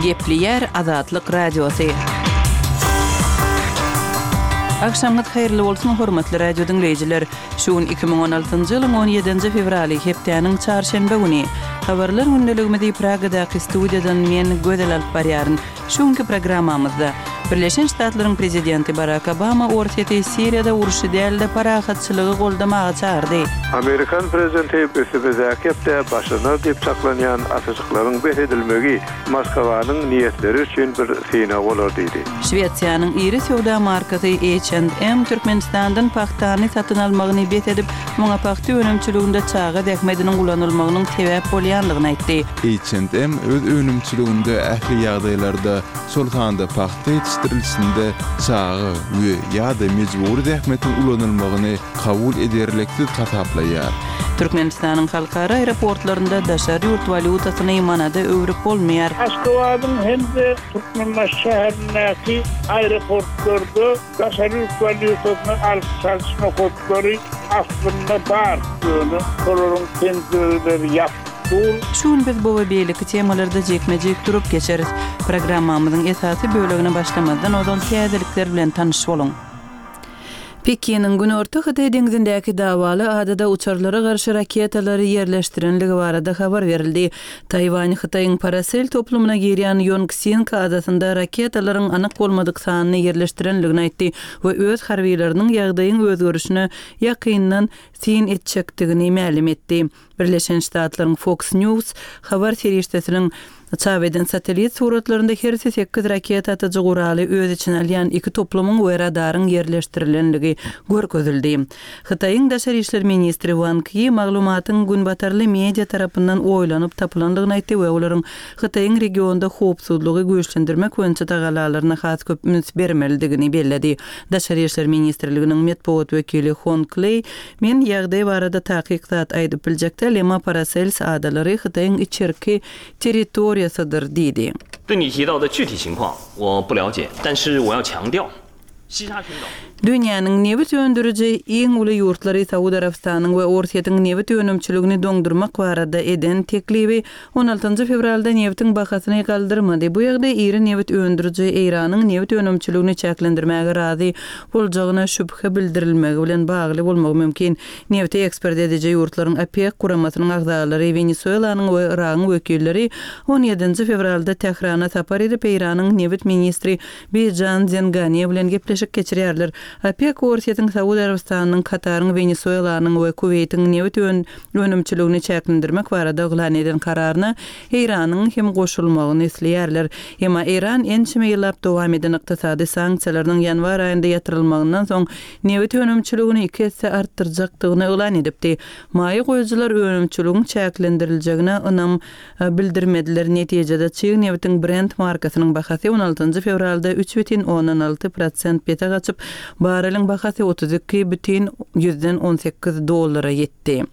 Gepleýär Azatlyk Radiosy. Agşamyňyz haýyrly bolsun, hormatly radio diňleýjiler! Şu gün 2016-njy ýylyň 17-nji fewraly, hepdäniň çarşenbe güni. Habarlar gündeligimizi Pragadaky studiýadan men, Gözel alyp barýaryn. Şu günki programmamyzda, Birleşen Ştatlaryň prezidenti Barak Obama Orsýeti Siriýada urşy däl-de, parahatçylygy goldamaga çagyrdy. Amerikan prezidenti üstümizdäki hepde başlanar diýip çaklanýan atyşyklaryň bes edilmegi Moskwanyň niýetleri üçin bir synag bolar diýdi. Şwesiýanyň iri söwda markasy H and M Türkmenistandan pagtany satyn almagyny bes edip, muňa pagta önümçiliginde çaga zähmediniň ulanylmagynyň sebäp bolýandygyny aýtdy. H and M öz önümçiliginde ähli ýagdaýlarda, şol sanda pagta ýetişdirilişinde çaga we, ýa-da, mejbury zähmetiň ulanylmagyny kabul ederliksiz hasaplaýar. Türkmenistanyň halkara aeroportlarynda daşary ýurt walýutasyny manada öwrüp bolmaýar. Aşgabadyň hem-de Türkmenbaşy şäherindäki aeroportlarda daşary ýurt walýutasyny alyş-çalyş nokatlary aslynda bar, ýöne olaryň penjireleri ýapyk dur. Şu gün biz bu we beýleki temalarda jikme-jik durup geçeris. Programmamyzyň esasy bölegine başlamazdan ozal täzelikler bilen tanyş boluň. Pekiniň Günorta Hytaý deňzindäki dawaly adada uçarlara garşy raketalary ýerleşdirenligi barada habar berildi. Taýwan Hytaýyň Parasel toplumyna girýän Ýongsing adasynda raketalaryň anyk bolmadyk sanyny ýerleşdirenligini aýtdy we öz harbylarynyň ýagdaýyň özgerişine ýakyndan syn etjekdigini mälim etdi. Birleşen Ştatlaryň Fox News habar serişdesiniň çap eden satellit suratlarynda hersi sekiz raketa atyjy guraly öz içine alýan iki toplumyň we radaryň ýerleşdirilenligi görkezildi. Hytaýyň daşary işler ministri Wang Yi maglumatyň günbatarly media tarapyndan oýlanyp tapylandygyny aýtdy we olaryň Hytaýyň regionda howpsuzlygy güýçlendirmek boýunça tagallalaryna has köp üns bermelidigini belledi. Daşary işler ministrliginiň metbugat wekili Hong Leý Men ýagdaý barada takyk zat aýdyp biljek däl, emma Parasels adalary Hytaýyň içerki territoriýasydyr diýdi. Dünýäniň nebit öndüriji iň uly ýurtlary Saud Arabystanyň we Orsýetiň nebit önümçiligini doňdurmak barada eden teklibi On altynjy fewralda nebitiň bahasyny galdyrmady. Bu ýagdaý iri nebit öndüriji Eýranyň nebit önümçiligini çäklendirmäge razy boljagyna şübhe bildirilmegi bilen bagly bolmagy mümkin. Nebiti eksport ediji ýurtlaryň OPEK guramasynyň agzalary Wenesuelanyň we Yragyň wekilleri on ýedinji fewralda Tährana sapar edip, Eýranyň nebit ministri Bijan Zengane bilen gepleşik geçirýärler. OPEK Orsýetiň, Saud Arabystanynyň, Kataryň, Wenesuelanyň we Kuweýtiň nebit önümçiligini çäklendirmek barada yglan eden kararyna Eýranyň hem goşulmagyny isleýärler. Emma Eýran ençeme ýyllap dowam eden ykdysady sanksiýalarynyň ýanwar aýynda ýatyrylmagyndan soň nebit önümçiligini iki esse artdyrjakdygyny yglan edipdi. Maýa goýujylar önümçiligiň çäklendiriljegine ynam bildirmediler. Netijede, çig nebitiň Brent markasynyň bahasy on altynjy fewralda üç bütin ondan alty prosent pese gaçyp, barreliň bahasy 32 bütin ýüzden 18 dollara ýetdi.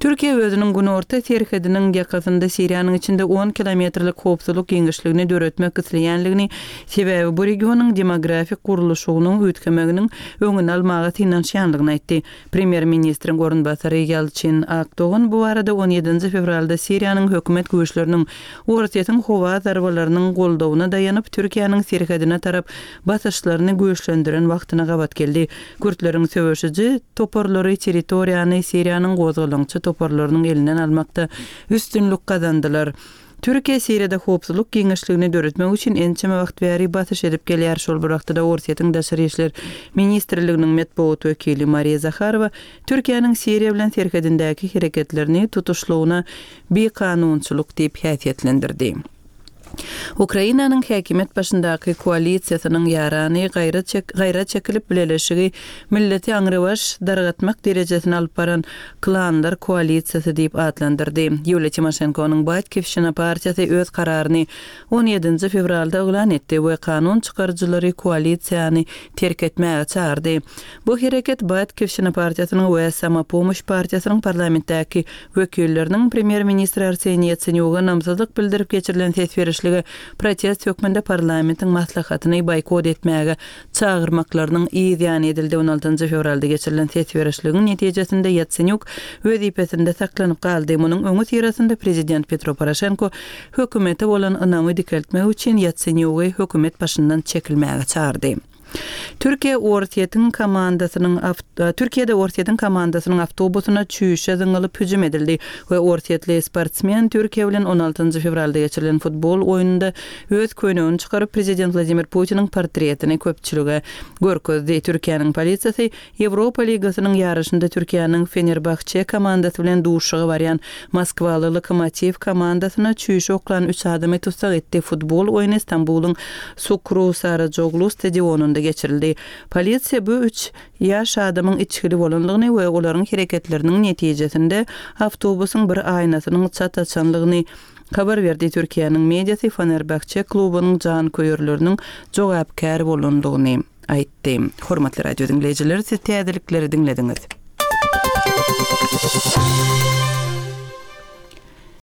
Türkiýe özüniň günorta serhediniň ýakasynda Siriýanyň içinde on kilometrlik howpsuzlyk giňişligini döretmek isleýänligini, sebäbi bu regionyň demografik gurluşygynyň üýtgemeginiň öňüni almaga synanyşýanlygyny aýtdy. Premýer-ministriň orunbasary Ýalçyn Akdogan bu barada on ýedinji fewralda Siriýanyň hökümet güýçleriniň Orsýetiň howa zarbalarynyň goldawyna daýanyp, Türkiýäniň serhedine tarap basyşlaryny güýçlendiren wagtyna gabat geldi. Kürtleriň söweşiji toparlary territoriýany Siriýanyň gozgalaňçy toparlarynyň elinden almakda üstünlik gazandylar. Türkiýe Siriýada howpsuzlyk giňişligini döretmek üçin ençeme wagt bäri basyş edip gelýär. Şol bir wagtda-da Orsýetiň Daşary işler ministrliginiň metbugat wekili Mariýa Zaharowa Türkiýäniň Siriýa bilen serhedindäki hereketlerini tutuşlygyna bikanunçylyk diýip häsiýetlendirdi. Ukrainanyň häkimiýet başyndaky koalisiýasynyň ýarany gaýra gaýra çekilip bileleşigi milleti aňrybaş dargatmak derejesine alyp baran Klanlar koalisiýasy diýip atlandyrdy. Ýuliýa Timoşenkonyň Batkiwşina partiýasy öz kararyny on ýedinji fewralda yglan etdi we kanun çykaryjylary koalisiýany terk etmäge çagyrdy. Bu hereket Batkiwşina partiýasynyň we Samopomoş partiýasynyň parlamentdäki wekilleriniň premýer-ministr Arseniý Ýatsenýuga ynamsyzlyk bildirip geçirilen ses berişlik. berişlige protest hökmünde parlamentiň maslahatyny boýkot etmäge çagyrmaklarynyň yz ýany edildi. On altynjy fewralda geçirilen ses berişligiň netijesinde Ýatsenýuk wezipesinde saklanyp galdy. Munuň öňüsyrasynda prezident Petro Poroşenko hökümete bolan ynamy dikeltmek üçin Ýatsenýugy hökümet başyndan çekilmäge çagyrdy. Türkiýe Orsýetiň komandasynyň Türkiýede Orsýetiň komandasynyň awtobusyna çüýşe zyňylyp hüjüm edildi we orsýetli sportsmen Türkiýe bilen on altynjy fewralda geçirilen futbol oýnunda öz köýnegini çykaryp prezident Wladimir Putiniň portretini köpçülige görkezdi. Türkiýäniň polisiýasy Ýewropa ligasynyň ýaryşynda Türkiýäniň Fenerbahçe komandasy bilen duşuşyga barýan moskwaly Lokomotiw komandasyna çüýşe oklan üç adamy tussag etdi. Futbol oýny Stambulyň Sukru Sarajoglu stadionynda geçirildi. Polisiýa bu üç ýaş adamyň içgili bolandygyny we olaryň hereketleriniň netijesinde awtobusyň bir aýnasynyň çat açanlygyny habar berdi. Türkiýäniň mediasy Fenerbahçe klubunyň janköýerleriniň jogapkär bolandygyny aýtdy. Hormatly radio diňleýjiler, siz täzelikleri diňlediňiz.